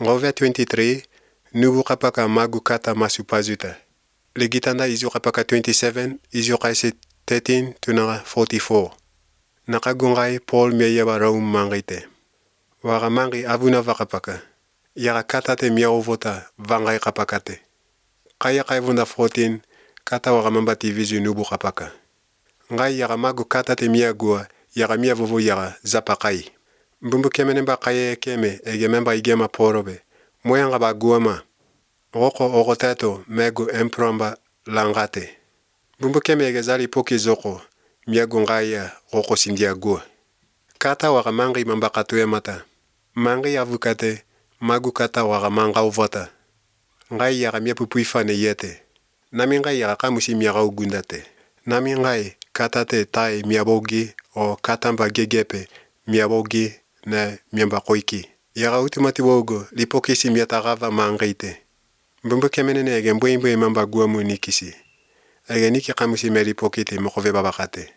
Ngove 23, nubu kapaka magu kata masupazuta. Legitanda izu kapaka 27, izu kaise 13 tunanga 44. Nakagungai Paul meyeba raum mangite. Wara mangi avuna vakapaka. Yara katate miaovota vangai kapakate. Kaya kaivunda 14, kata wara mambati vizu nubu kapaka. Ngai yara magu katate miagua, yara miavovo yara zapakai. Mbumbu kemenemba kaye keme egememba igema porobe. Moyanga ba guama. Roko orotato megu empromba langate. Mbumbu keme egezali poki zoko. Miagu ngaya roko sindia gua. Kata wara mangi mambakatue mata. Mangi avukate, magu kata wara manga uvota. Ngai yara miapupuifane yete. Nami ngai yara kamusi miara ugundate. Nami ngai katate tai miabogi o katamba gegepe miabogi na miamba koiki. Yara utumati wogo lipokisi miatarava mangite. Mbumbu kemenene ege mbwe mamba guamu nikisi. Ege niki kamusi melipokite mokove babakate.